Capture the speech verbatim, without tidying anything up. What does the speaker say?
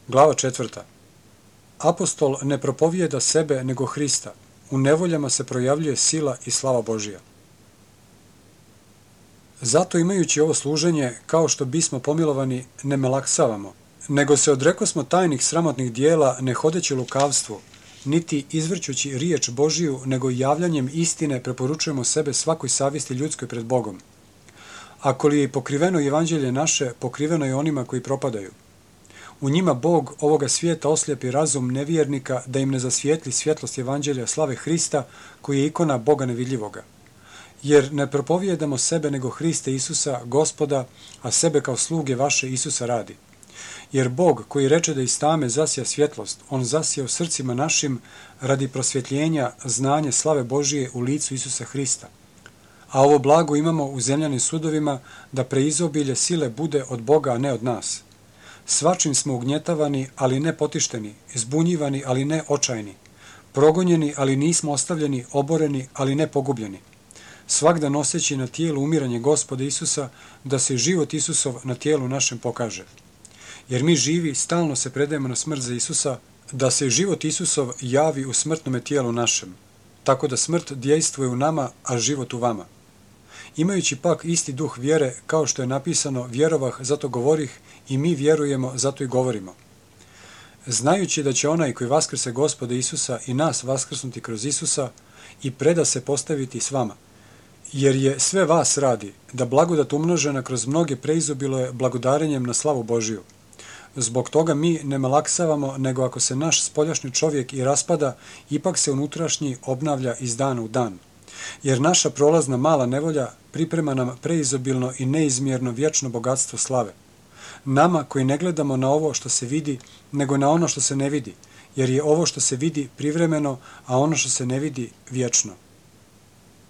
Glava četvrta. Apostol ne propovijeda sebe nego Hrista. U nevoljama se projavljuje sila i slava Božija. Zato imajući ovo služenje, kao što bismo pomilovani, ne melaksavamo, nego se odrekosmo tajnih sramotnih dijela, ne hodeći lukavstvu, niti izvrćući riječ Božiju, nego javljanjem istine preporučujemo sebe svakoj savjesti ljudskoj pred Bogom. Ako li je pokriveno evanđelje naše, pokriveno je onima koji propadaju. U njima Bog ovoga svijeta oslijepi razum nevjernika da im ne zasvijetli svjetlost evanđelja slave Hrista, koji je ikona Boga nevidljivoga. Jer ne propovijedamo sebe nego Hriste Isusa, Gospoda, a sebe kao sluge vaše Isusa radi. Jer Bog koji reče da iz tame zasija svjetlost, on zasija u srcima našim radi prosvjetljenja znanje slave Božije u licu Isusa Hrista. A ovo blago imamo u zemljanim sudovima da preizobilje sile bude od Boga, a ne od nas. Svačim smo ugnjetavani, ali ne potišteni, zbunjivani, ali ne očajni, progonjeni, ali nismo ostavljeni, oboreni, ali ne pogubljeni. Svakda noseći na tijelu umiranje Gospoda Isusa, da se život Isusov na tijelu našem pokaže. Jer mi živi stalno se predajemo na smrt za Isusa, da se život Isusov javi u smrtnome tijelu našem, tako da smrt djejstvuje u nama, a život u vama. Imajući pak isti duh vjere, kao što je napisano, vjerovah, zato govorih, i mi vjerujemo, zato i govorimo. Znajući da će onaj koji vaskrse Gospoda Isusa i nas vaskrsnuti kroz Isusa i preda se postaviti s vama, jer je sve vas radi, da blagodat umnožena kroz mnoge preizobiluje blagodarenjem na slavu Božiju. Zbog toga mi ne malaksavamo, nego ako se naš spoljašnji čovjek i raspada, ipak se unutrašnji obnavlja iz dana u dan. Jer naša prolazna mala nevolja priprema nam preizobilno i neizmjerno vječno bogatstvo slave. Nama koji ne gledamo na ovo što se vidi, nego na ono što se ne vidi, jer je ovo što se vidi privremeno, a ono što se ne vidi vječno.